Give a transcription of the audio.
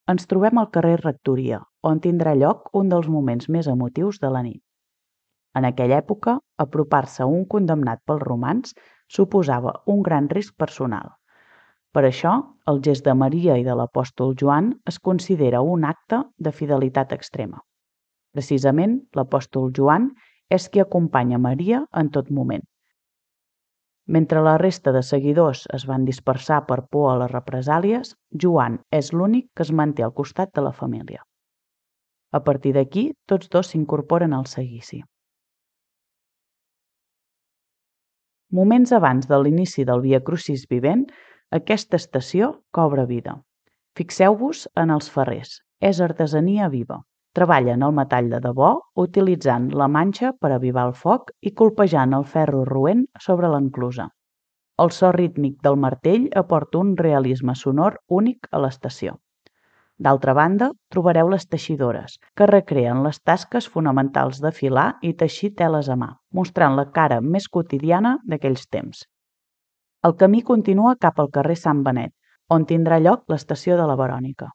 Ens trobem al carrer Rectoria, on tindrà lloc un dels moments més emotius de la nit. En aquella època, apropar-se a un condemnat pels romans suposava un gran risc personal. Per això, el gest de Maria i de l'apòstol Joan es considera un acte de fidelitat extrema. Precisament, l'apòstol Joan és qui acompanya Maria en tot moment. Mentre la resta de seguidors es van dispersar per por a les represàlies, Joan és l'únic que es manté al costat de la família. A partir d'aquí, tots dos s'incorporen al seguici. Moments abans de l'inici del Via Crucis vivent, aquesta estació cobra vida. Fixeu-vos en els ferrers, és artesania viva. Treballen el metall de debò utilitzant la manxa per avivar el foc i colpejant el ferro roent sobre l'enclusa. El so rítmic del martell aporta un realisme sonor únic a l'estació. D'altra banda, trobareu les teixidores, que recreen les tasques fonamentals de filar i teixir teles a mà, mostrant la cara més quotidiana d'aquells temps. El camí continua cap al carrer Sant Benet, on tindrà lloc l'estació de la Verònica.